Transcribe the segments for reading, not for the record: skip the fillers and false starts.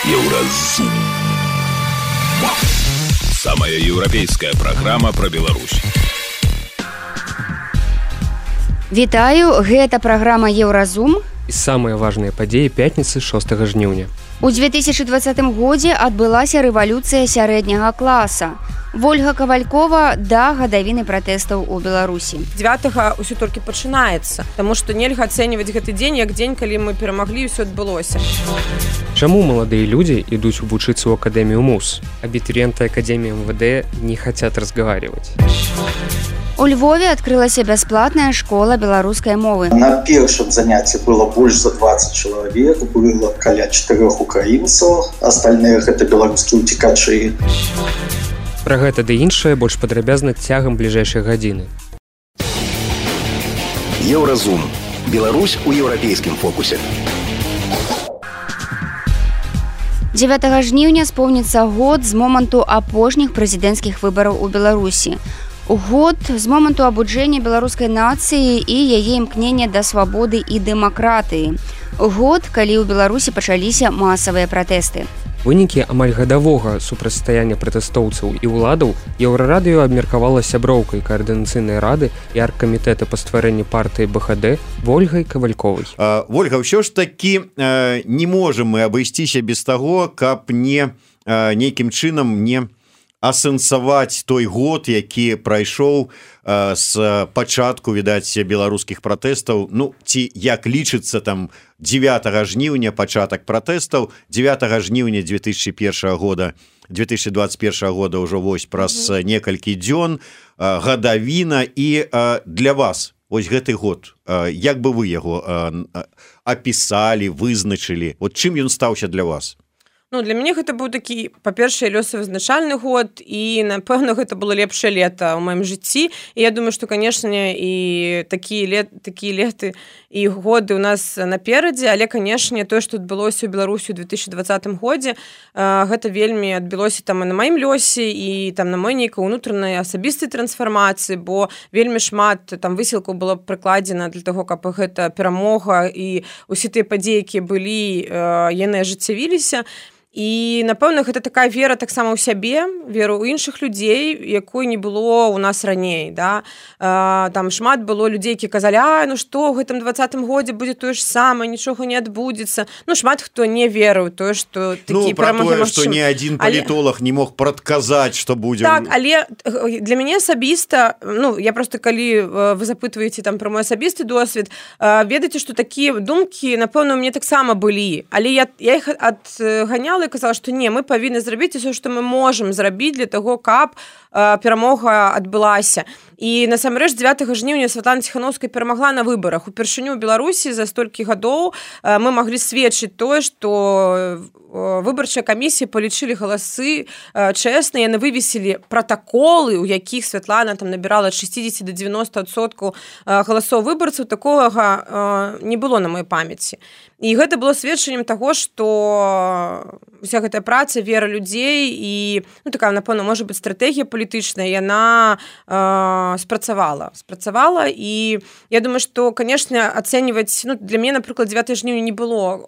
Еўразум. Самая еўрапейская праграма пра Беларусь. Вітаю, гэта праграма Еўразум. І самыя важныя падзеі пятніцы 6 жніўня. У 2020 годзе адбылася рэвалюцыя сярэдняга класа. Вольга Кавалькова да гадавіны пратэстаў у Беларусі. 9-го ўсё толькі пачынаецца, таму што нельга ацэньваць гэты дзень як дзень, калі мы перамаглі, ўсё адбылося. Чаму маладыя людзі ідуць вучыцца ў акадэмію МУС? Абітурыенты акадэміі МВД не хацят разговаривать. У Львове адкрылася бясплатная школа беларускай мовы. На першым занятці было больш за 20 чалавек, было каля 4 украінцаў, астальныя гэта беларускія ўцекачы. Пра гэта ды іншае больш падрабязна цягам бліжэйшай гадзіны. Еўразум. Беларусь у еўрапейскім фокусе. 9 жніўня споўніцца год з моманту апошніх прэзідэнцкіх выбараў у Беларусі. Год з моманту абуджэння беларускай нацыі і яе імкнення да свабоды і дэмакратыі. Год, калі ў Беларусі пачаліся масавыя пратэсты. Вынікі амаль гадавога супрацьстаяння пратэстоўцаў і ўладаў Еўрарадыё абмеркавала сяброўкай каардынацыйнай рады і аргкамітэта па стварэнні партыі БХД Вольгай Кавальковай. Вольга, ўсё ж такі не можам мы абысціся без таго, каб не нейкім чынам не асэнсаваць той год, які прайшоў з пачатку, відаць, беларускіх пратэстаў, ну, ці як лічыцца там 9 жніўня пачатак пратэстаў, 9 жніўня 2021 года ўжо вось праз некалькі дзён, гадавіна, і для вас вось гэты год, як бы вы яго апісалі, вызначылі, от чым ён стаўся для вас? Ну, для мяне гэта быў такі, па-першае, лёсавызначальны год, і, напэўна, гэта было лепшае лета ў маім жыцці. І я думаю, што, канешне, і такія леты і годы ў нас наперадзе, але, канешне, тое, што адбылося ў Беларусі ў 2020 годзе, гэта вельмі адбылося там і на маім лёсе, і там на мой нейкай унутранай асабістай трансфармацыі, бо вельмі шмат там высілкаў было прыкладзена для таго, каб гэта перамога і ўсе тыя падзеі, якія былі, яны ажыццявіліся. І, напэўна, гэта такая вера таксама ў сябе, вера ў іншых людзей, якой не было ў нас раней. Да? Там шмат было людзей, які казалі, ну што, ў гэтым 20-м годзе будзе тое ж самае, нічога не адбудзецца. Ну, шмат хто не верыў тое, што такі перамогі магчымы. Што ні адзін палітолог не мог прадказаць, што будзе. Так, але для мяне асабіста, ну, я просто, калі вы запытваеце там пра мой асабісты досвед, ведаеце, што такія думкі, напэўна, у мяне таксама былі. Але я іх адганяла, казала, што не, мы павінны зрабіць усё, што мы можам зрабіць для таго, каб перамога адбылася. І насамрэч 9 жніўня Святлана Ціханаўская перамагла на выбарах. Упершыню ў Беларусі за столькі гадоў мы маглі сведчыць тое, што выбарчыя камісіі палічылі галасы чэсна, яны вывесілі пратаколы, у якіх Святлана там набірала ад 60 до 90% галасоў выбарцаў. Такога не было на маёй памяці. І гэта было сведчаннем таго, што уся гэтая праца, вера людзей і, ну, такая, напэўна, можа быць, стратэгія палітычная, яна спрацавала. І я думаю, што, канешне, ацэньваць, ну, для мяне, напрыклад, 9 жніўня не было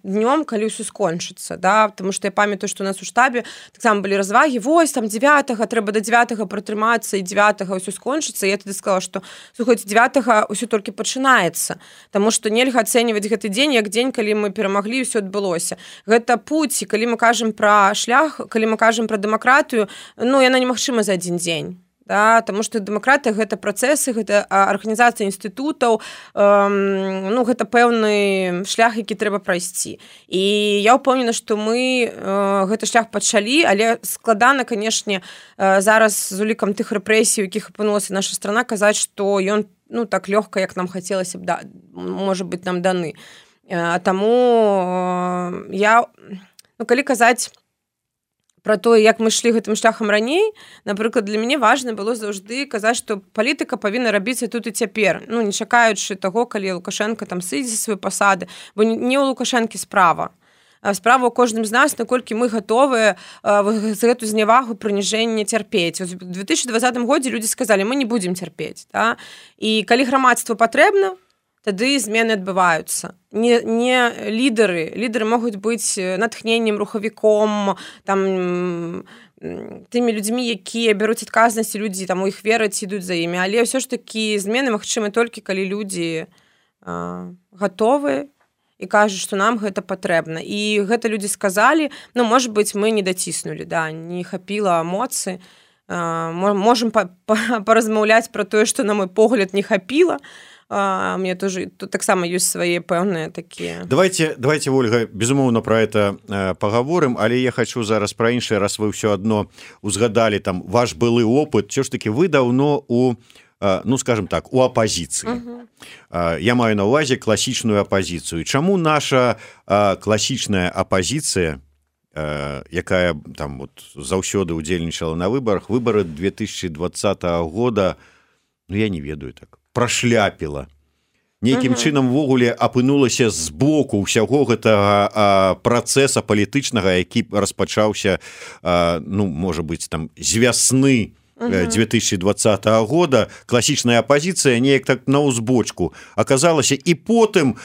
днём, калі ўсё скончыцца, да, потому што я памятаю, што у нас у штабе таксама былі развагі, вось, там 9-го, трэба до 9-го пратрымацца, і 9-го ўсё скончыцца. І я тады сказала, што, слухайце, 9-го ўсё толькі пачынаецца, таму што нельга ацэньваць гэты дзень як дзень, калі мы перамаглі, ўсё адбылося. Гэта путь, і калі мы кажам пра шлях, калі мы кажам пра дэмакратыю, ну, яна немагчыма за адзін дзень. Да, таму што дэмакратыя гэта працэсы, гэта арганізацыя інстытутаў, ну, гэта пэўны шлях, які трэба прайсці. І я ўпэўнена, што мы гэты шлях пачалі, але складана, канешне, зараз з улікам тых рэпрэсій, якіх апынулася наша страна, казаць, што ён, ну, так лёгка, як нам хацелася б, да, можа быць, нам даны. Таму я, ну, калі казаць пра тое, як мы шлі гэтым шляхам раней, напрыклад, для мяне важна было заўжды казаць, што палітыка павінна рабіцца тут і цяпер, ну, не чакаючы таго, калі Лукашенко там сыдзе са сваёй пасады, бо не ў Лукашэнкі справа. Справа ў кожным з нас, наколькі мы гатовыя за гэту знявагу, прыніжэнне цярпець. У 2020 годзе людзі сказалі, мы не будзем цярпець. Да? І калі грамадству патрэбна, тады змены адбываюцца. Не лідары могуць быць натхненнем, рухавіком, там тымі людзьмі, якія бяруць адказнасць, людзі там у іх вераць, ідуць за імі, але ўсё ж такі змены магчымы толькі калі людзі гатовы і кажуць, што нам гэта патрэбна. І гэта людзі сказалі, ну, можа быць, мы не даціснулі, да, не хапіла моцы, можам паразмаўляць пра тое, што на мой погляд не хапіла. Мне тоже тут таксама ёсць свае пэўныя такія. Давайте, Ольга, безумоўна про это паговорым, але я хочу зараз пра іншае, раз вы ўсё адно узгадалі там ваш былы опыт, що ж таки вы даўно у, ну скажем так, у апозіцыі. Я маю на ўвазе класічную апозіцыю. Чаму наша класічная апозіцыя, якая там вот заўсёды удзельнічала на выбарах, выбары 2020 года, ну я не ведаю так, прашляпіла. Нейкім чынам ввогуле апынулася з боку ўсяго гэтага працэса палітычнага, які распачаўся, ну, можа быць, там, з вясны 2020 года. Класічная апозіцыя неяк так на ўзбочку аказалася, і потым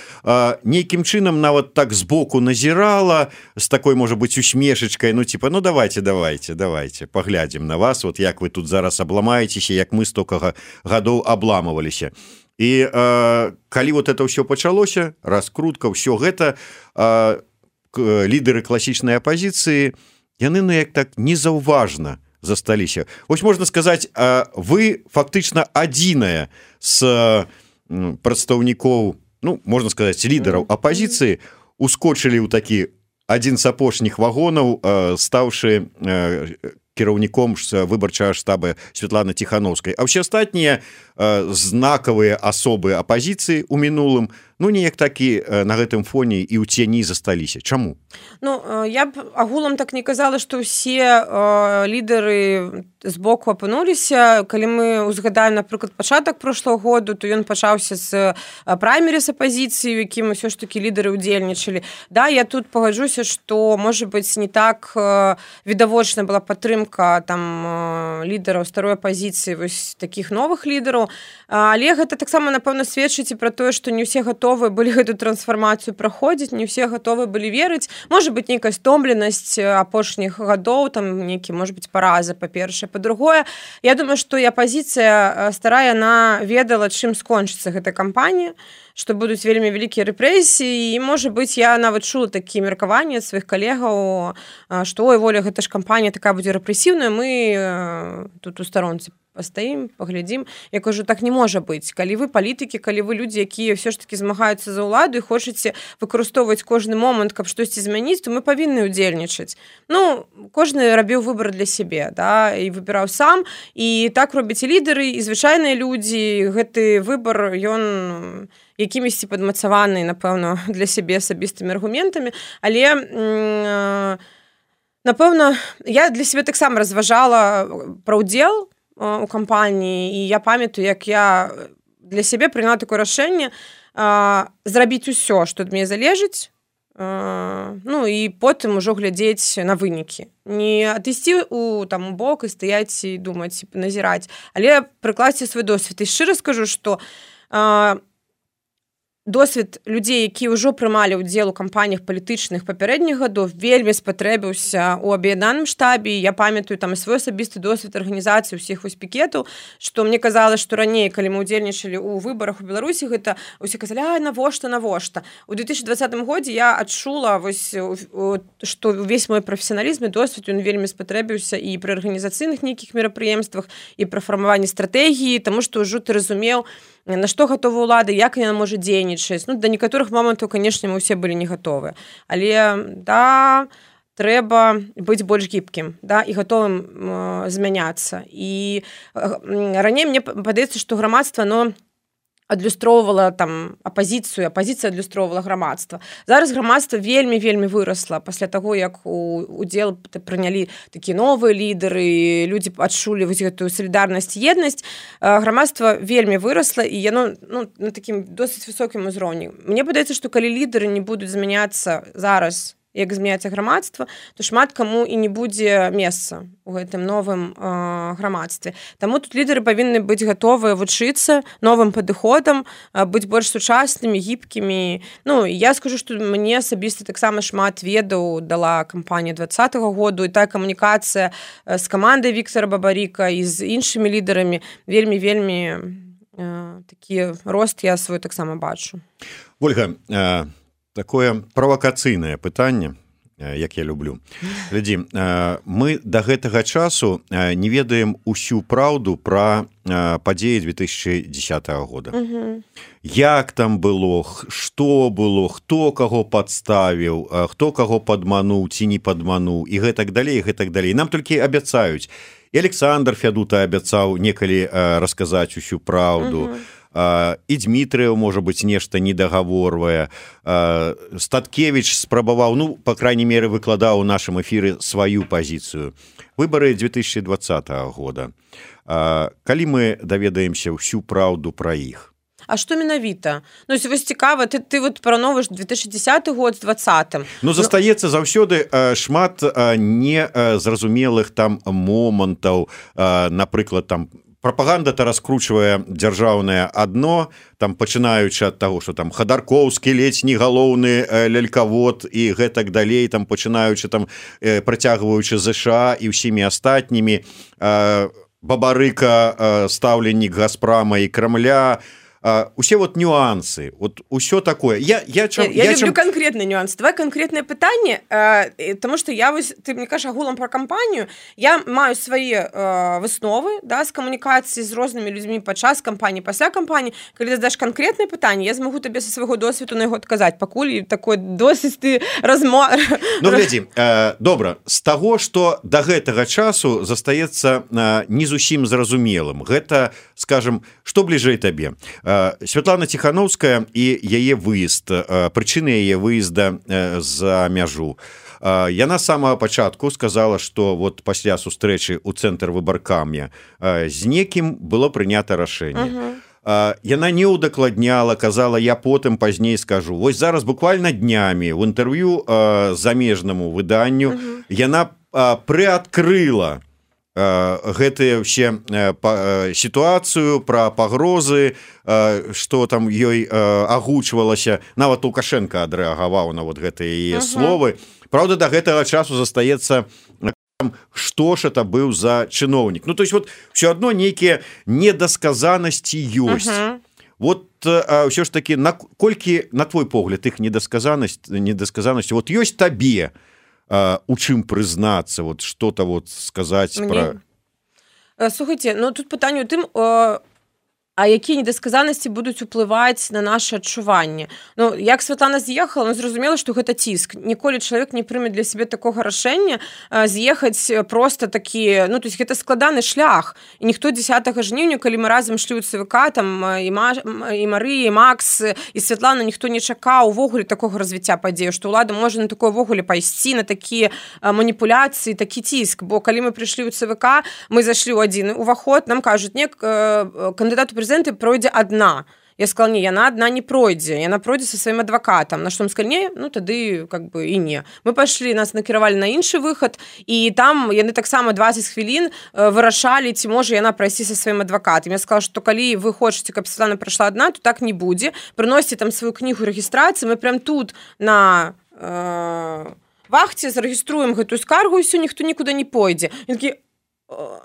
нейкім чынам нават так збоку назірала з такой, можа быць, усмешачкай, ну, типа, ну, давайте, паглядзім на вас, вот як вы тут зараз абламаецеся, як мы стокага гадоў абламываліся. І калі вот это ўсё пачалося, раскрутка, ўсё гэта, лідары класічнай апозіцыі, яны, ну, як так незаўважна засталіся. Вось можна сказаць, вы фактычна адзіная з прадстаўнікоў, ну, можна сказаць, лідараў апозіцыі ускочылі ў такі адзін з апошніх вагонаў, стаўшы кіраўніком выбарчага штаба Святланы Ціхановскай. А ўсе астатнія знакавыя асобы апозіцыі ў мінулым, ну, неяк такі на гэтым фоне і ў цені засталіся. Чаму? Ну, я б агулам так не казала, што ўсе лідары з боку апынуліся. Калі мы узгадаем, напрыклад, пачатак прошлого году, то ён пачаўся з праймеріс апозіцыі, у якім ўсё ж такі лідары ўдзельнічалі. Да, я тут пагаджуся, што, можа быць, не так відавочна была падтрымка там лідараў старой апозіцыі, вось такіх новых лідараў, але гэта таксама, напэўна, сведчыць і пра тое, што не ўсе гатовы былі гэту трансфармацыю праходзіць, не ўсе гатовы былі верыць. Можа быць, нейкая стомленасць апошніх гадоў, там нейкі, можа быць, параза, па-першае. Па-другое, я думаю, што і апозіцыя старая, яна ведала, чым скончыцца гэта кампанія, што будуць вельмі вялікія рэпрэсіі, і, можа быць, я нават чула такія меркаванні ад сваіх калегаў, што, ой, Воля, гэта ж кампанія такая будзе рэпрэсіўная, мы тут у старонцы пастаім, паглядзім. Я кажу, так не можа быць. Калі вы палітыкі, калі вы людзі, якія ўсё ж такі змагаюцца за ўладу і хочаце выкарыстоўваць кожны момант, каб штосьці змяніць, то мы павінны ўдзельнічаць. Ну, кожны рабіў выбар для сябе, да, і выбіраў сам, і так робяць і лідары, і звычайныя людзі. Гэты выбар, ён якімісьці падмацаваны, напэўна, для сябе асабістымі аргументамі, але, напэўна, я для сябе таксама разважала пра ўдзел у кампаніі, і я памятаю, як я для сябе прыняла такое рашэнне зрабіць усё, што ад мяне залежыць, ну, і потым ужо глядзець на вынікі. Не адысці у бок і стаяць і думаць, назіраць, але прыкласці свой досвед. І шчыра скажу, што досвед людзей, якія ўжо прымалі ўдзел у кампаніях палітычных папярэдніх гадоў, вельмі спатрэбіўся ў аб'яднаным штабе. Я памятаю там свой асабісты досвед арганізацыі ўсіх вось пікетаў, што мне казала, што раней, калі мы ўдзельнічалі ў выбарах у Беларусі, гэта ўсе казалі, ай, навошта. У 2020 годзе я адчула, вось, што ўвесь мой прафесіяналізм і досвед, ён вельмі спатрэбіўся і пры арганізацыйных нейкіх мерапрыемствах, і пры фармаванні стратэгіі, таму што ўжо ты разумеў, на што гатова ўлада, як яна можа дзейнічаць. Ну, да некаторых момантаў, канешне, мы ўсе былі не гатовы. Але, да, трэба быць больш гібкім, да, і гатовым змяняцца. І раней мне падаецца, што грамадства, оно адлюстроўвала там апозіцыя адлюстроўвала грамадства. Зараз грамадства вельмі вырасла пасля таго, як удзел прынялі такія новыя лідары, людзі адчулі вось гэтую салідарнасць і еднасць. Грамадства вельмі вырасла, і яно, ну, на такім досыць высокім узроўні. Мне падаецца, што калі лідары не будуць змяняцца зараз як змяняецца грамадства, то шмат каму і не будзе месца у гэтым новым грамадстве. Таму тут лідары павінны быць гатовыя вучыцца новым падыходам, быць больш сучаснымі, гібкімі. Ну, я скажу, што мне асабіста таксама шмат ведаў дала кампанія 2020 году, і тая камунікацыя з камандай Віктора Бабарыка і з іншымі лідарамі вельмі такі рост я свой таксама бачу. Ольга, такое правакацыйнае пытанне, як я люблю. Глядзі, мы да гэтага часу не ведаем усю праўду пра падзеі 2010 года. Як там было, што было, хто каго падставіў, хто каго падмануў ці не падмануў і гэтак далей, гэтак далей. Нам толькі абяцаюць. І Александр Фядута абяцаў некалі расказаць усю праўду. І Дмітрыеў, можа быць, нешта недагаворвае. Статкевіч спрабаваў, ну, па крайней меры, выкладаў у нашым эфіры сваю пазіцыю. Выбары 2020 года. Калі мы даведаемся ўсю праўду пра іх? А што менавіта? Ну, вось цікава, ты вот параўноўваеш 2010 год з 2020. Ну, застаецца заўсёды шмат незразумелых там момантаў, напрыклад, там, прапаганда-то раскручвае дзяржаўнае адно, там пачынаючы ад таго, што там Хадаркоўскі ледзь не галоўны лялькавод і гэтак далей, там пачынаючы там працягваючы ЗША і ўсімі астатнімі, Бабарыка стаўленнік Газпрама і Крамля, усе вот нюансы, вот усё такое. Я люблю конкретный нюанс. Давай конкретное пытанне, потому что я вось, ты мне кажаш агулам про кампанію, я маю свае высновы, да, з камунікацыі з рознымі людзьмі падчас кампаніі, пасля кампаніі. Калі задаш конкретное пытанне, я змагу табе са свайго досведу на яго адказаць, пакуль такой досыць ты Ну, глядзі, добра, з таго, што да гэтага часу застаецца не зусім зразумелым. Гэта, скажем, што бліжэй табе? Святлана Ціхановская і яе выезд, прычыны яе выезда за мяжу. Яна з самага пачатку сказала, што вот пасля сустрэчы ў цэнтр выбаркам'я з некім было прынята рашэнне. Яна не ўдакладняла, казала, я потым пазней скажу. Вось зараз буквально днямі ў інтэрв'ю замежнаму выданню яна прыадкрыла гэтыя ўсе сітуацыю пра пагрозы, што там ёй агучвалася, нават Лукашенко адрэагаваў на вот гэтыя яе словы. Праўда, да гэтага часу застаецца, што ж это быў за чыноўнік. Ну, то есть вот ўсё адно нейкія недасказанасці ёсць. Вот ўсё ж такі, наколькі, на твой погляд, іх недасказанасці вот ёсць табе, у чым прызнацца, вот что-то вот сказаць пра... Слухайце, ну тут пытанне ў тым, а якія недасказанасці будуць уплываць на наше адчуванне. Ну, як Святлана з'ехала, ну, зразумела, што гэта ціск. Ніколі чалавек не прыме для сябе такога рашэння з'ехаць проста такі, ну, то есть гэта складаны шлях. І ніхто 10 жніўня, калі мы разам шлі ў ЦВК, там і Марыя, і Макс, і Святлана, ніхто не чакаў увогуле такога развіцця падзею, што ўлада можа на такое ўвогуле пайсці, на такія маніпуляцыі, такі ціск. Бо калі мы прыйшлі ў ЦВК, мы зайшлі ў адзін уваход, нам кажуць, не, кандыдат у прэзідэнты пройдзе адна. Я сказала, не, яна адна не пройдзе, яна пройдзе са сваім адвакатам. На што мы сказалі, не, ну тады как бы і не. Мы пайшлі, нас накіравалі на іншы выхад, і там яны таксама 20 хвілін вырашалі, ці можа яна прайсці са сваім адвакатам. Я сказала, што калі вы хочаце, каб Святлана прайшла адна, то так не будзе. Прыносіце там сваю кнігу рэгістрацыі, мы прям тут на вахце зарэгіструем гэтую скаргу, і ўсё, ніхто нікуды не пойдзе. Ён такі,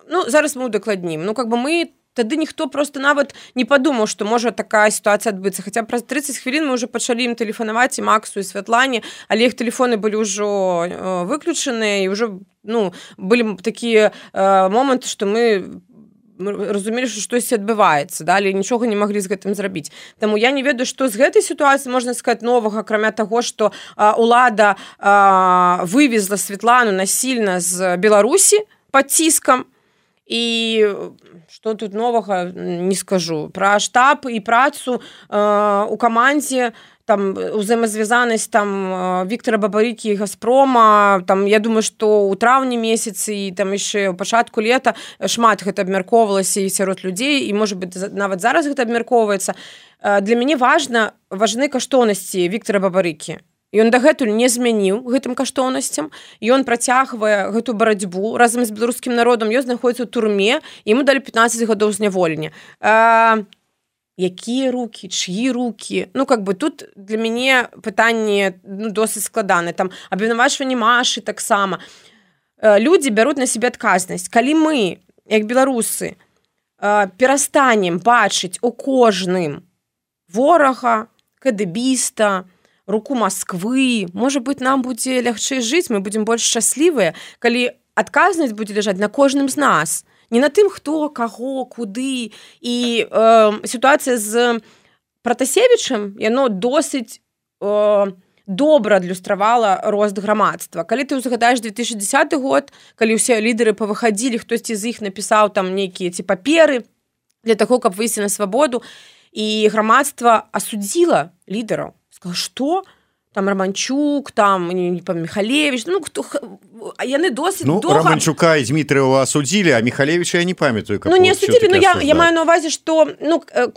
ну, зараз мы удакладнім. Ну, как бы мы тады ніхто просто нават не падумаў, што можа такая сітуацыя адбыцца. Хаця праз 30 хвілін мы ўжо пачалі ім тэлефанаваць, і Максу, і Святлане, але іх тэлефоны былі ўжо выключаныя, і ўжо, ну, былі такія моманты, што мы разумелі, што штосьці адбываецца, да, але нічога не маглі з гэтым зрабіць. Таму я не ведаю, што з гэтай сітуацыі можна сказаць новага, акрамя таго, што ўлада вывезла Святлану насільна з Беларусі пад ціскам. І што тут новага не скажу. Пра штаб і працу у камандзе, там узаемазвязанасць там Віктора Бабарыкі і Газпрома, там я думаю, што ў траўні месяцы і там яшчэ ў пачатку лета шмат гэта абмяркоўвалася і сярод людзей, і можа быць нават зараз гэта абмяркоўваецца. Для мяне важны каштоўнасці Віктора Бабарыкі. Ён дагэтуль не змяніў гэтым каштоўнасцям, ён працягвае гэту барацьбу разам з беларускім народам, ён знаходзіцца ў турме, яму далі 15 гадоў зняволення. Якія рукі, чьі рукі? Тут для мяне пытанне досыць складанае. Там абвінавачванне Машы таксама. Людзі бяруць на сябе адказнасць. Калі мы, як беларусы, перастанем бачыць у кожным ворага, кадэбіста, руку Москвы, можа быць, нам будзе лягчэй жыць, мы будзем больш шчаслівыя, калі адказнасць будзе ляжаць на кожным з нас. Не на тым, хто, каго, куды. І сітуацыя з Пратасевічам, яно досыць добра адлюстравала рост грамадства. Калі ты ўзгадаеш 2010 год, калі ўсе лідары павыхадзілі, хтосьці з іх напісаў там нейкія ці паперы для таго, каб выйсці на свабоду, і грамадства асудзіла лідараў. Сказала, што? Там Романчук, там Михалевич, яны досыць доўга... Романчука і Дмітрыева асудзілі, а Михалевича я не памятаю. Не асудзілі, я маю на увазе, што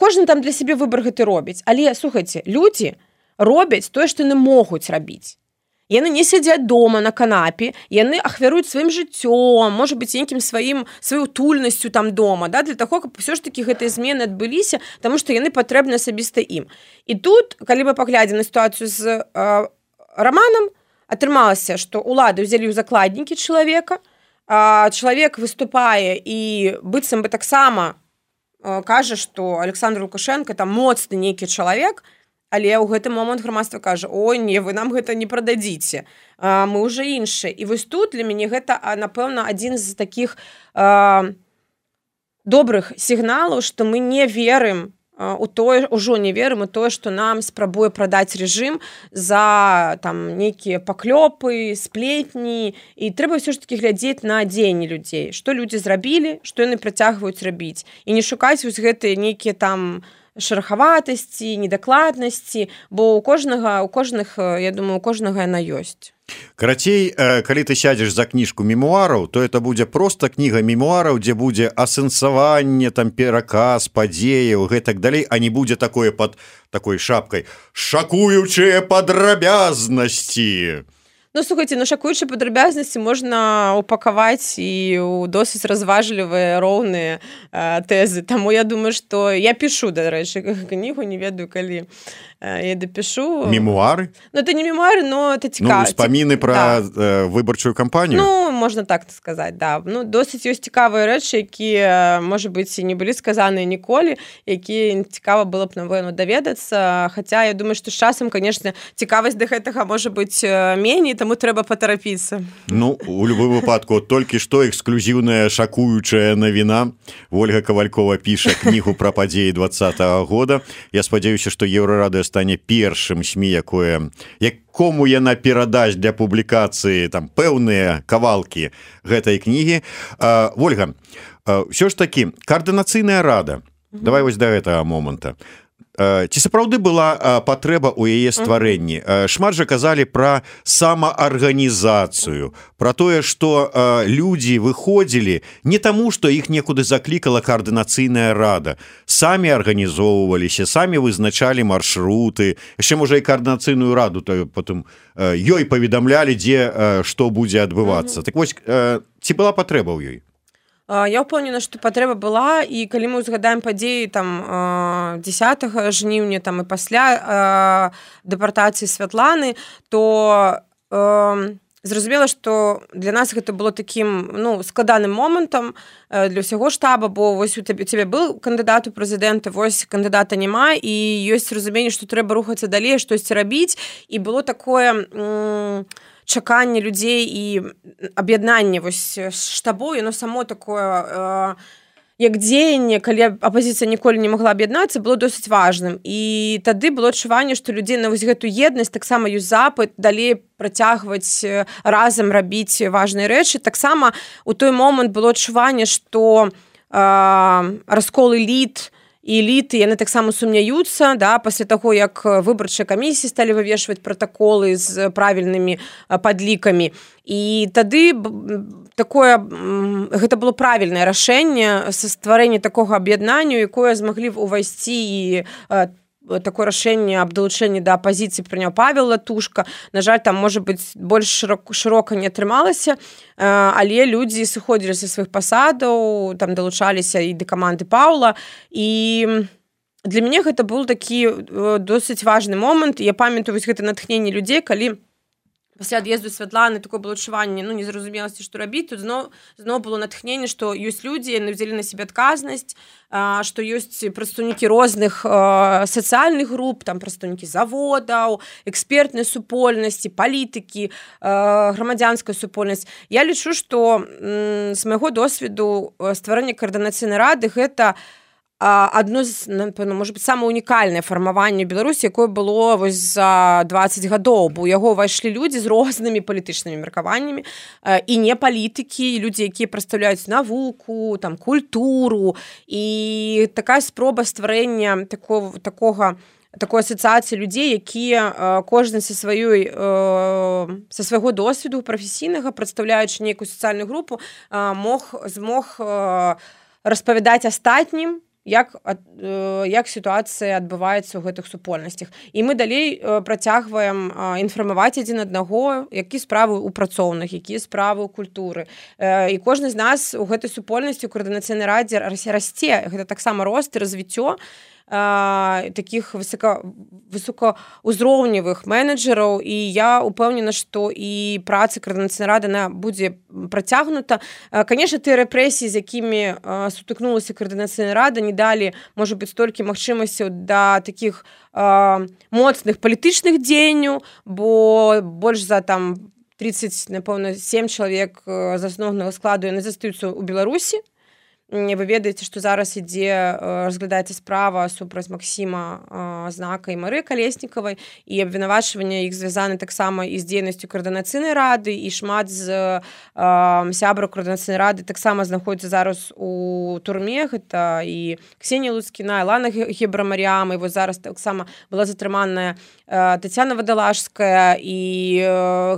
кожны там для сябе выбар гэты робіць. Але, слухайце, людзі робяць тое, што яны могуць рабіць. Яны не сядзяць дома на канапе, яны ахвяруюць сваім жыццём, можа быць, нейкім сваёй утульнасцю там дома, да, для таго, каб ўсё ж такі гэтыя змены адбыліся, таму што яны патрэбны асабіста ім. І тут, калі мы паглядзім на сітуацыю з Раманам, атрымалася, што ўлады ўзялі ў закладнікі чалавека, чалавек выступае і быццам бы таксама кажа, што Александр Лукашенко там моцны нейкі чалавек, але ў гэты момант грамадства кажа, ой, не, вы нам гэта не прададзіце, мы ўжо іншыя. І вось тут для мяне гэта, напэўна, адзін з такіх добрых сігналаў, што мы не верым ўжо не верым у тое, што нам спрабуе прадаць рэжым за там нейкія паклёпы, сплетні, і трэба ўсё ж такі глядзець на дзеянні людзей, што людзі зрабілі, што яны працягваюць рабіць, і не шукаць вось гэтыя нейкія там шарахаватасці, недакладнасці, бо у кожных, я думаю, у кожнага яна ёсць. Карацей, калі ты сядзеш за кніжку мемуараў, то это будзе проста кніга мемуараў, дзе будзе асэнсаванне, там пераказ, падзеяў, гэтак далей, а не будзе такое пад такой шапкай шакуючыя падрабязнасці. Слухайце, шакуючыя падрабязнасці можна упакаваць і ў досыць разважлівыя, роўныя тэзы. Таму я думаю, што я пішу, дарэчы, кнігу, не ведаю, калі я дапішу. Мемуары? Это не мемуары, но это цікава. Успаміны пра выбарчую кампанію? Можна так сказаць, да. Досыць ёсць цікавыя рэчы, якія, можа быць, і не былі сказаныя ніколі, якія цікава было б, напэўна, даведацца. Хаця, я думаю, што з часам, конечно, цікавасць да гэтага можа быць меней, таму трэба патарапіцца. У любым выпадку, толькі што эксклюзіўная шакуючая навіна. Ольга Кавалькова піша кнігу пра падзеі 2020 года. Я спадзяюся, што Еўрарадыё стане першым СМІ, якому яна перадасць для публікацыі там пэўныя кавалкі гэтай кнігі. Ольга, ўсё ж такі, каардынацыйная рада. Давай вось да гэтага моманта. Ці сапраўды была патрэба ў яе стварэнні? Шмат жа казалі пра самаарганізацыю, пра тое, што людзі выходзілі не таму, што іх некуды заклікала каардынацыйная рада. Самі арганізоўваліся, самі вызначалі маршруты, яшчэ, можа, і каардынацыйную раду потым ёй паведамлялі, дзе што будзе адбывацца. Так вось, ці была патрэба ў ёй? Я ўпэўнена, што патрэба была, і калі мы ўзгадаем падзеі там 10 жніўня там і пасля дэпартацыі Святланы, то зразумела, што для нас гэта было такім складаным момантам для ўсяго штаба, бо вось у цябе быў кандыдат у прэзідэнты, вось кандыдата няма, і ёсць разуменне, што трэба рухацца далей, штосьці рабіць, і было такое чаканне людзей і аб'яднанне вось штабу, яно само такое як дзеянне, калі апазіцыя ніколі не магла аб'яднацца, было досыць важным. І тады было адчуванне, што людзей на вось гэту еднасць таксама ёсць запыт далей працягваць разам рабіць важныя рэчы. Таксама у той момант было адчуванне, што раскол эліт і эліты, яны таксама сумняюцца, да, пасля таго, як выбарчыя камісіі сталі вывешваць пратаколы з правільнымі падлікамі. І тады гэта было правільнае рашэнне са стварэння такога аб'яднання, якое змаглі ўвайсці і такое рашэнне аб далучэнні да апазіцыі прыняў Павел Латушка. На жаль, там, можа быць, больш шырока не атрымалася, але людзі сыходзілі са сваіх пасадаў, там далучаліся і да каманды Паўла, і для мяне гэта быў такі досыць важны момант. Я памятаю вось гэта натхненне людзей, калі пасля ад'езду Святланы такое было адчуванне, незразумеласці, што рабіць. Тут зноў было натхненне, што ёсць людзі, яны ўзялі на сябе адказнасць, што ёсць прадстаўнікі розных сацыяльных груп, там прадстаўнікі заводаў, экспертнай супольнасці, палітыкі, грамадзянская супольнасць. Я лічу, што з майго досведу стварэння каардынацыйнай рады гэта адно з, напэўна, можа быць, самае унікальнае фармаванне Беларусі, якое было вось за 20 гадоў, бо ў яго ўвайшлі людзі з рознымі палітычнымі меркаваннямі, і не палітыкі, і людзі, якія прадстаўляюць навуку, там, культуру, і такая спроба стварэння такой асацыяцыі людзей, якія кожны са свайго досведу прафесійнага, прадстаўляючы нейкую сацыяльную групу, змог распавядаць астатнім, як сітуацыя адбываецца ў гэтых супольнасцях. І мы далей працягваем інфармаваць адзін аднаго, якія справы ў працоўных, якія справы ў культуры. І кожны з нас у гэтай супольнасці ў каардынацыйнай радзе расце. Гэта таксама рост і развіццё таких высокаўзроўневых менеджераў, і я упэўнена, што і праца каардынацыйнай рады будзе працягнута. Канешне, тыя рэпрэсіі, з якімі сутыкнулася каардынацыйная рада, не далі, можа быць, столькі магчымасцяў да такіх моцных палітычных дзеянняў, бо больш за там 30, напэўна, 7 чалавек з асноўнага складу яны застаюцца ў Беларусі. Вы ведаеце, што зараз разглядаецца справа супраць Максіма Знака і Марыі Калеснікавай, і абвінавачванне іх звязаны таксама і з дзейнасцю каардынацыйнай рады, і шмат з сябраў каардынацыйнай рады таксама знаходзяцца зараз у турме. Гэта і Ксенія Луцкіна, і Лана Гебрамаріам, і вось зараз таксама была затрыманая Тацяна Вадалашская, і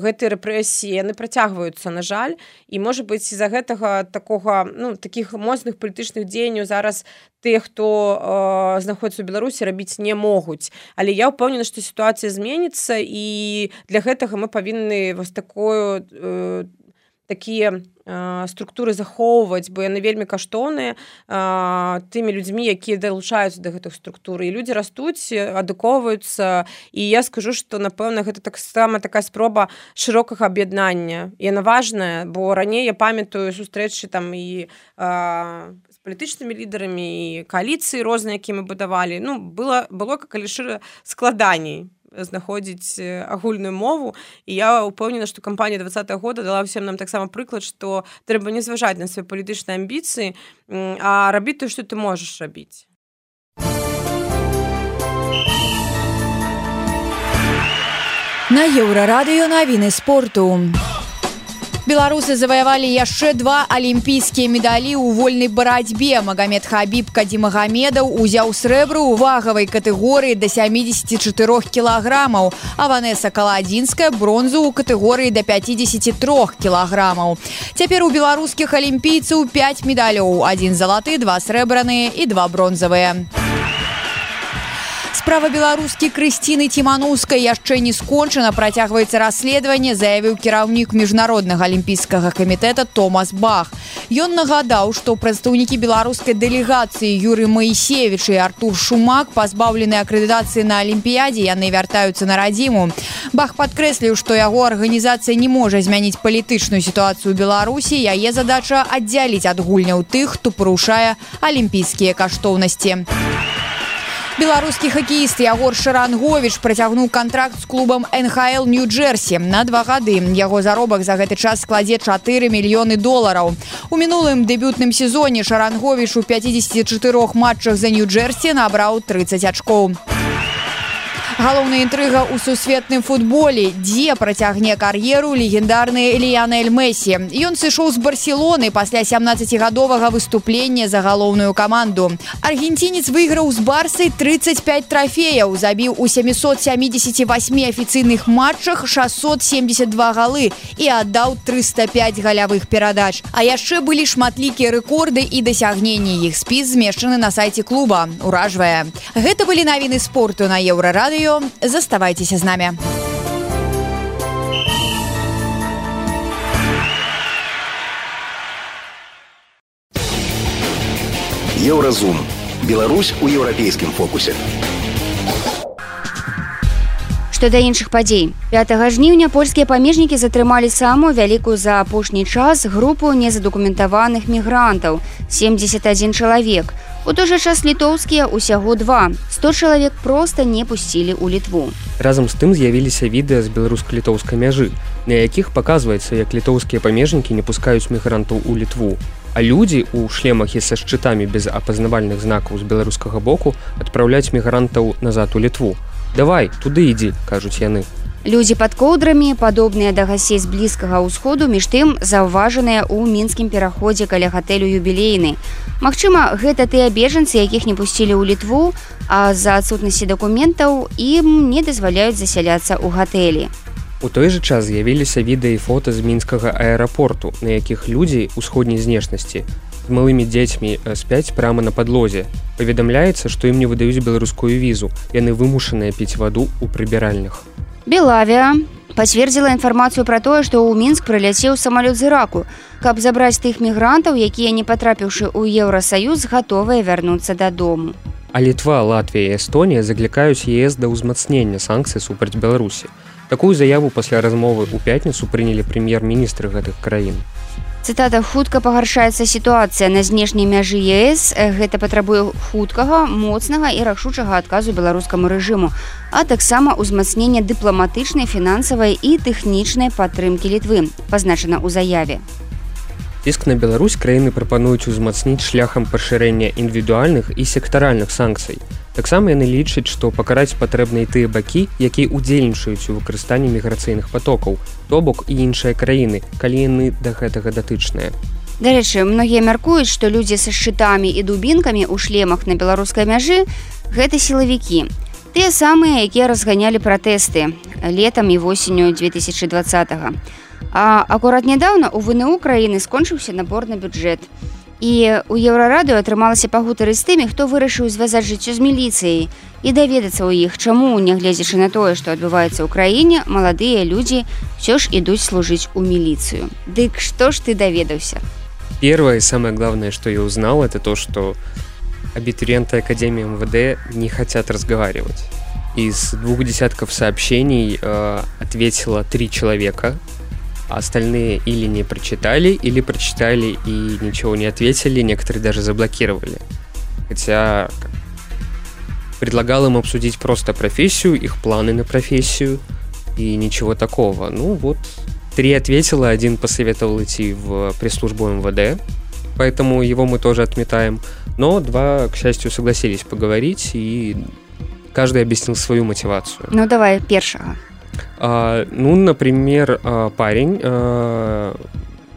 гэтыя рэпрэсіі, яны працягваюцца, на жаль, і, можа быць, з-за гэтага такіх моцных палітычных дзеянняў зараз тыя, хто знаходзіцца ў Беларусі, рабіць не могуць. Але я ўпэўнена, што сітуацыя зменіцца, і для гэтага мы павінны вось такія структуры захоўваць, бо яны вельмі каштоўныя тымі людзьмі, якія далучаюцца да гэтых структур. І людзі растуць, адукоўваюцца, і я скажу, што, напэўна, гэта таксама такая спроба шырокага аб'яднання. Яна важная, бо раней я памятаю сустрэчы там і з палітычнымі лідарамі, і кааліцыі розныя, якія мы будавалі. Было калі шыра складаней знаходзіць агульную мову, і я ўпэўнена, што кампанія 20-го года дала ўсім нам таксама прыклад, што трэба не зважаць на свае палітычныя амбіцыі, а рабіць тое, што ты можаш рабіць. На Еўрарадыё навіны спорту. Беларусы заваявалі яшчэ 2 алімпійскія медалі ў вольнай барацьбе. Магамед Хабіб Кадзімагамедаў узяў срэбра ў вагавай катэгорыі да 74 кілаграмаў, а Ванеса Каладзінская бронзу ў катэгорыі да 53 кілаграмаў. Цяпер у беларускіх алімпійцаў 5 медалёў, 1 залаты, 2 срэбраныя і 2 бронзавыя. Справа беларускі Крысціны Ціманаўскай яшчэ не скончана, працягваецца расследаванне, заявіў кіраўнік міжнароднага алімпійскага камітэта Томас Бах. Ён нагадаў, што прадстаўнікі беларускай дэлегацыі Юрый Маісевіч і Артур Шумак пазбаўлены акрэдытацыі на алімпіядзе, яны вяртаюцца на радзіму. Бах падкрэсліў, што яго арганізацыя не можа змяніць палітычную сітуацыю ў Беларусі, яе задача аддзяліць ад гульняў тых, хто парушае алімпійскія каштоўнасці. Беларускі хакеіст Ягор Шаранговіч працягнуў кантракт з клубам НХЛ Нью-Джерсі на 2 гады. Яго заробак за гэты час складзе $4 мільёны. У мінулым дэбютным сезоне Шаранговіч у 54 матчах за Нью-Джерсі набраў 30 ачкоў. Галоўная інтрыга ў сусветным футболе, дзе працягне кар'еру легендарны Ліянель Месі. Ён сышоў з Барселоны пасля 17гадовага выступлення за галоўную каманду. Аргенцінец выйграў з Барсай 35 трафеяў, забіў у 778 афіцыйных матчах 672 галы і аддаў 305 галявых перадач. А яшчэ былі шматлікія рэкорды і дасягненні. Іх спіс змешчаны на сайце клуба. Уражвае. Гэта былі навіны спорту на Еўрарадыё. Заставайцеся з намі. Еўразум. Беларусь у еўрапейскім фокусе. Што да іншых падзей. 5 жніўня польскія памежнікі затрымалі самую вялікую за апошні час групу незадакументаваных мігрантаў – 71 чалавек. У той жа час літоўскія ўсяго 2. 100 чалавек проста не пусцілі ў Літву. Разам з тым з'явіліся відэа з беларуска-літоўскай мяжы, на якіх паказваецца, як літоўскія памежнікі не пускаюць мігрантаў у Літву. А людзі ў шлемах і са шчытамі без апазнавальных знакаў з беларускага боку адпраўляюць мігрантаў назад у Літву. «Давай, туды ідзі», кажуць яны. Людзі пад коўдрамі, падобныя да гасцей з Блізкага ўсходу, між тым заўважаныя ў мінскім пераходзе каля гатэлю «Юбілейны». Магчыма, гэта тыя бежанцы, якіх не пусцілі ў Літву, а з-за адсутнасці дакументаў ім не дазваляюць засяляцца ў гатэлі. У той жа час з'явіліся відэа і фота з мінскага аэрапорту, на якіх людзі ўсходняй знешнасці з малымі дзецьмі спяць прямо на падлозе. Паведамляецца, што ім не выдаюць беларускую візу. Яны вымушаныя піць ваду ў прыбіральнях. Белавія пацвердзіла інфармацыю пра тое, што ў Мінск прыляцеў самалёт з Іраку, каб забраць тых мігрантаў, якія, не патрапіўшы ў Еўрасаюз, гатовыя вярнуцца дадому. А Літва, Латвія і Эстонія заклікаюць ЕС да ўзмацнення санкцый супраць Беларусі. Такую заяву пасля размовы ў пятніцу прынялі прэм'ер-міністры гэтых краін. Цытата: «Хутка пагаршаецца сітуацыя на знешняй мяжы ЕС. Гэта патрабуе хуткага, моцнага і рашучага адказу беларускаму рэжыму, а таксама ўзмацнення дыпламатычнай, фінансавай і тэхнічнай падтрымкі Літвы», пазначана ў заяве. Ціск на Беларусь краіны прапануюць узмацніць шляхам пашырэння індывідуальных і сектаральных санкцый. Таксама яны лічаць, што пакараць патрэбна і тыя бакі, якія ўдзельнічаюць у выкарыстанні міграцыйных патокаў, то бок і іншыя краіны, калі яны да гэтага датычныя. Дарэчы, многія мяркуюць, што людзі са шчытамі і дубінкамі ў шлемах на беларускай мяжы – гэта сілавікі. Тыя самыя, якія разганялі пратэсты летам і восенню 2020-го. А акурат нядаўна у ВНУ краіны скончыўся набор на бюджэт. І у Еўрарадыё атрымалася пагутарыць з тымі, хто вырашыў звязаць жыццё з міліцыяй і даведацца ў іх, чаму, нягледзячы на тое, што адбываецца ў краіне, маладыя людзі ўсё ж ідуць служыць у міліцыю. Дык што ж ты даведаўся? Первое и самое главное, что я узнал, это то, что абитуриенты Академии МВД не хотят разговаривать. Из 2 десятков сообщений ответило 3 человека. Остальные или не прочитали, или прочитали и ничего не ответили, некоторые даже заблокировали. Хотя предлагал им обсудить просто профессию, их планы на профессию и ничего такого. Ну вот, 3 ответило, 1 посоветовал идти в пресс-службу МВД, поэтому его мы тоже отметаем. Но 2, к счастью, согласились поговорить, и каждый объяснил свою мотивацию. Ну давай, першага. Например, парень,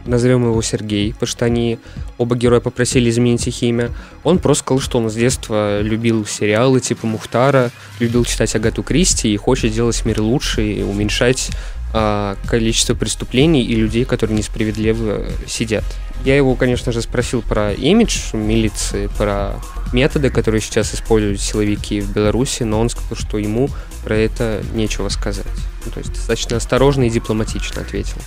назовем его Сергей, потому что они, оба героя, попросили изменить их имя. Он просто сказал, что он с детства любил сериалы типа Мухтара, любил читать Агату Кристи и хочет делать мир лучше и уменьшать количество преступлений и людей, которые несправедливо сидят. Я его, конечно же, спросил про имидж милиции, про методы, которые сейчас используют силовики в Беларуси, но он сказал, что ему про это нечего сказать. Ну, то есть достаточно осторожно и дипломатично ответил.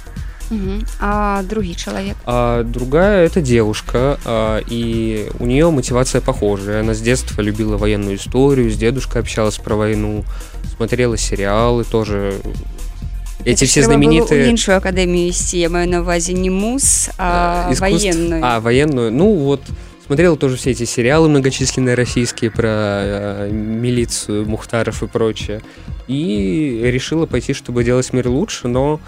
А другой человек? Другая – это девушка, и у нее мотивация похожая. Она с детства любила военную историю, с дедушкой общалась про войну, смотрела сериалы тоже. Эти все знаменитые... Іншую академию вести, я маю на увазе не МУС, а военную. Военную. Ну вот, смотрела тоже все эти сериалы многочисленные российские про милицию, Мухтаров и прочее. И решила пойти, чтобы делать мир лучше, но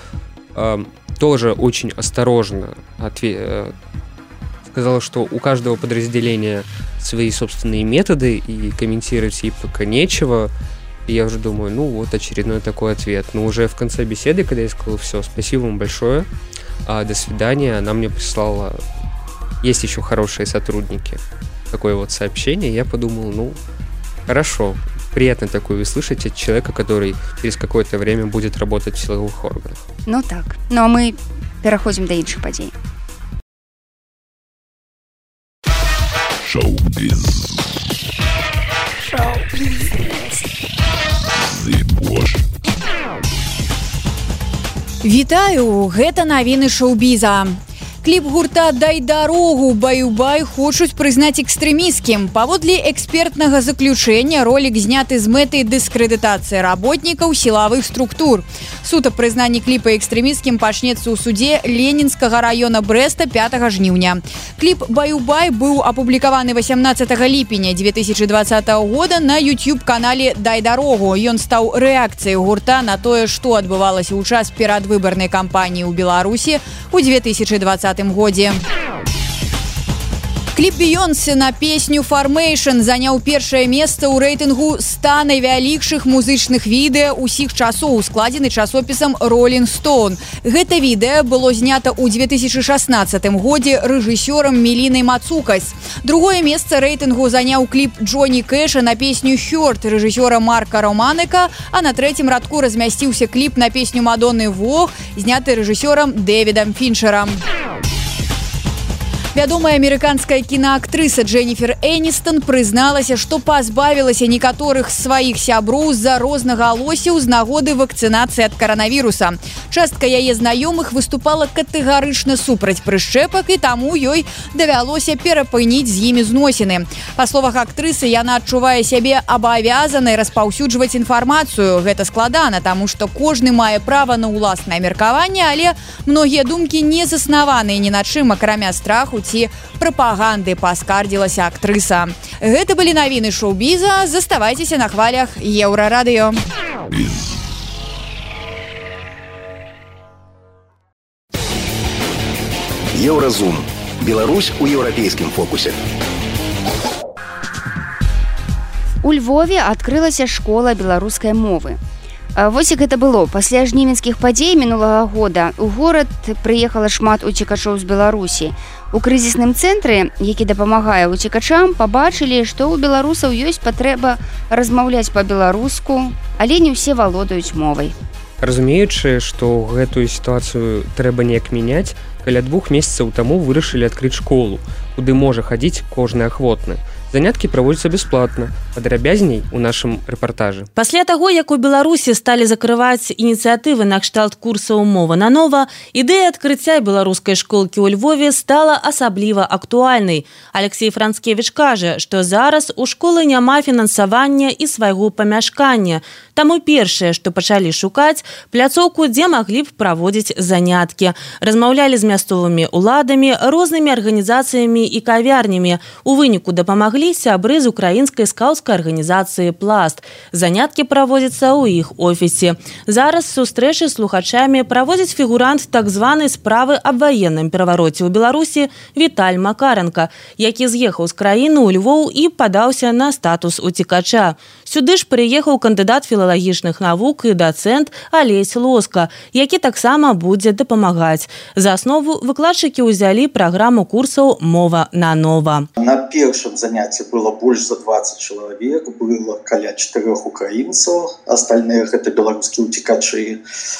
тоже очень осторожно сказала, что у каждого подразделения свои собственные методы, и комментировать ей пока нечего. И я уже думаю, ну вот очередной такой ответ. Но уже в конце беседы, когда я сказал, все, спасибо вам большое, до свидания, она мне прислала, есть еще хорошие сотрудники, такое вот сообщение. Я подумал, ну, хорошо, приятно такое услышать от человека, который через какое-то время будет работать в силовых органах. Ну так, ну а мы переходим до іншых падзей. Шоу-биз. Вітаю, гэта навіны шоу-біза. Кліп гурта «Дай дарогу» «Баю-бай» хочуць прызнаць экстрэмісцкім. Паводле экспертнага заключэння ролік зняты з мэтай дыскрэдытацыі работнікаў сілавых структур. Суд аб прызнанні кліпа экстрэмісцкім пачнецца ў суде Ленінскага раёна Брэста 5 жніўня. Кліп «Баю-бай» быў апублікаваны 18 ліпеня 2020 года на YouTube-канале «Дай дарогу». Ён стаў рэакцыяй гурта на тое, што адбывалася ў час перадвыбарнай кампаніі ў Беларусі ў 2020 годзе. Кліп Бейонсе на песню «Formation» заняў першае месца ў рэйтынгу 100 найвялікшых музычных відэа ўсіх часоў, складзены часопісам «Rolling Stone». Гэта відэа было знята ў 2016 годзе рэжысёрам Мелінай Мацукас. Другое месца рэйтынгу заняў кліп Джоні Кэша на песню «Hurt» рэжысёра Марка Романека, а на трэцім радку размясціўся кліп на песню Мадонны «Вог», зняты рэжысёрам Дэвідам Фінчерам. Вядомая амерыканская кінаактрыса Дженніфер Эністон прызналася, што пазбавілася некаторых сваіх сяброў з-за рознагалоссяў з нагоды вакцынацыі ад каранавіруса. Частка яе знаёмых выступала катэгарычна супраць прышчэпак, і таму ёй давялося перапыніць з імі зносіны. Па словах актрысы, яна адчувае сябе абавязанай распаўсюджваць інфармацыю. Гэта складана, таму што кожны мае права на ўласнае меркаванне, але многія думкі не заснаваныя ні на чым, акрамя страху ці прапаганды, паскардзілася актрыса. Гэта былі навіны шоу-біза. Заставайцеся на хвалях Еўрарадыё. Еўразум. Беларусь у еўрапейскім фокусе. У Львове адкрылася школа беларускай мовы. Вось як гэта было. Пасля жнівеньскіх падзей мінулага года у горад прыехала шмат уцекачоў з Беларусі. У крызісным цэнтры, які дапамагае уцекачам, пабачылі, што ў беларусаў ёсць патрэба размаўляць па-беларуску, але не ўсе валодаюць мовай. Разумеючы, што гэтую сітуацыю трэба неяк мяняць, каля 2 месяцаў таму вырашылі адкрыць школу, куды можа хадзіць кожны ахвотны. Заняткі праводзяцца бясплатна. Падрабязней у нашым рэпартажы. Пасля таго, як у Беларусі сталі закрываць ініцыятывы накшталт курсаў мова нанова, ідэя адкрыцця беларускай школкі ў Львове стала асабліва актуальнай. Алексей Францкевіч кажа, што зараз у школы няма фінансавання і свайго памяшкання. Таму першае, што пачалі шукаць, пляцоўку, дзе маглі б праводзіць заняткі. Размаўлялі з мясцовымі уладамі, рознымі арганізацыямі і кавярнямі. У выніку дапамаглі сябры з украінскай скаўцкай арганізацыі «Пласт». Заняткі праводзяцца ў іх офісе. Зараз сустрэчы з слухачамі праводзіць фігурант так званай справы аб ваенным перавароце ў Беларусі Віталь Макаренко, які з'ехаў з краіны ў Львоў і падаўся на статус уцекача. Сюды ж прыехаў кандыдат філалагічных навук і дацэнт Алесь Лоска, які таксама будзе дапамагаць. За аснову выкладчыкі ўзялі праграму курсаў «Мова нанова». На першым занятии было больше за 20 человек, было каля 4 украинцев, остальных это белорусские утекачи.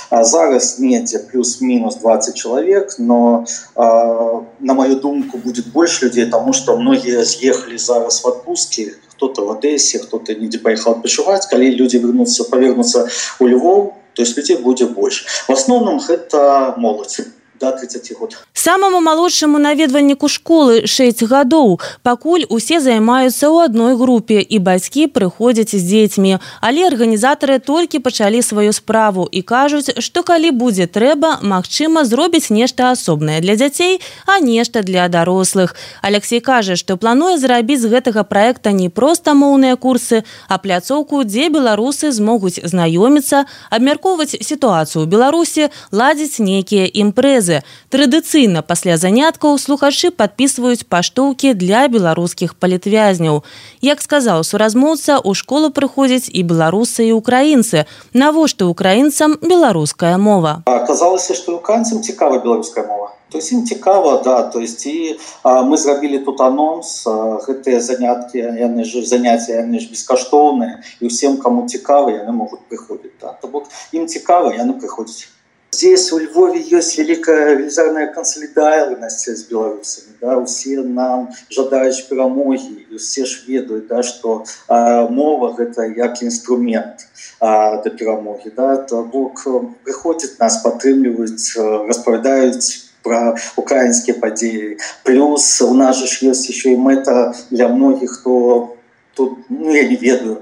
А зараз недзе плюс-минус 20 человек, но на мою думку будет больше людей, потому что многие съехали зараз в отпуске, кто-то в Одессе, кто-то недзе поехал пешевать, когда люди повернутся у Львов, то есть людей будет больше. В основном это молодь. До 30 год. Самому малодшаму наведвальніку школы 6 гадоў. Пакуль усе займаюцца ў адной групе і бацькі прыходзяць з дзецьмі. Але арганізатары толькі пачалі сваю справу і кажуць, што калі будзе трэба, магчыма, зробіць нешта асобнае для дзяцей, а нешта для дарослых. Алексей кажа, што плануе зрабіць з гэтага праекта не проста моўныя курсы, а пляцоўку, дзе беларусы змогуць знаёміцца, абмяркоўваць сітуацыю ў Беларусі, ладзіць нейкія імпрэзы. мове. Традыцыйна пасля заняткаў слухачы падпісваюць паштоўкі для беларускіх палітвязняў. Як сказаў суразмоўца, у школу прыходзяць і беларусы, і украінцы. Навошта украінцам беларуская мова? Аказалася, што украінцам цікава беларуская мова. То есть им цікава, да, то есть и мы зрабілі тут анонс, гэтыя заняткі, яны ж бескаштоўныя, і ўсім, кому цікава, яны могуць прыходзіць, да. То бок им цікава, яны прыходзяць. Здесь, у Львове, есть великая велизарная консолидарность с белорусами, да, все нам жадаюць перамоги, и все ж ведают, да, что мова – это як инструмент до перамоги, да, то бок приходят нас, падтрымліваюць, распавядаюць про украинские подеи. Плюс у нас же есть еще и мета для многих, кто тут, ну, я не ведаю,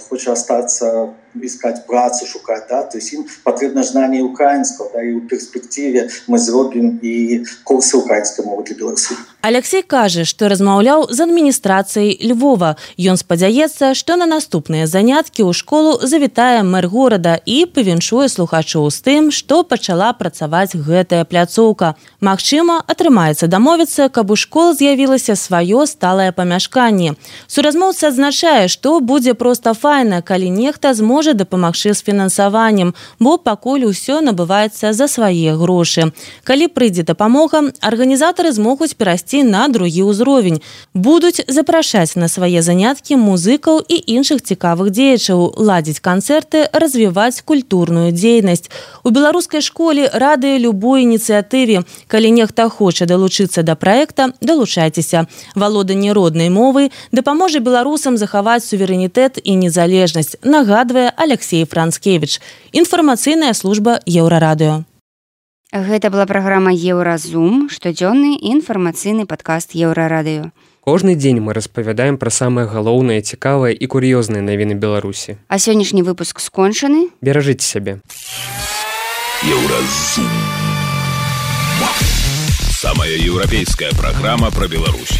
хочет остаться, искать працу, шукать, да, то есть им потребно знание украинского, да, и в перспективе мы зробим и курсы украинской мовы для белорусов. Алексей кажа, што размаўляў з адміністрацыяй Львова. Ён спадзяецца, што на наступныя заняткі ў школу завітае мэр горада і павіншуе слухачоў з тым, што пачала працаваць гэтая пляцоўка. Магчыма, атрымаецца дамовіцца, каб у школ з'явілася сваё сталае памяшканне. Суразмоўца адзначае, што будзе проста файна, калі нехта зможа дапамагчы з фінансаваннем, бо пакуль усё набываецца за свае грошы. Калі прыйдзе дапамога, арганізатары змогуць перайсці на другі ўзровень. Будуць запрашаць на свае заняткі музыкаў і іншых цікавых дзеячаў, ладзіць канцэрты, развіваць культурную дзейнасць. У беларускай школе рады любой ініцыятыве. Калі нехта хоча далучыцца да праекта, далучайцеся. Валоданне роднай мовы дапаможа беларусам захаваць суверэнітэт і незалежнасць, нагадвае Алексей Францкевич. Інфармацыйная служба Еўрарадыё. Гэта была праграма Еўразум, штодзённы інфармацыйны падкаст Еўрарадыё. Кожны дзень мы распавядаем пра самыя галоўныя, цікавыя і кур'ёзныя навіны Беларусі. А сённяшні выпуск скончаны. Беражыце сябе. Еўразум. Самая еўрапейская праграма пра Беларусь.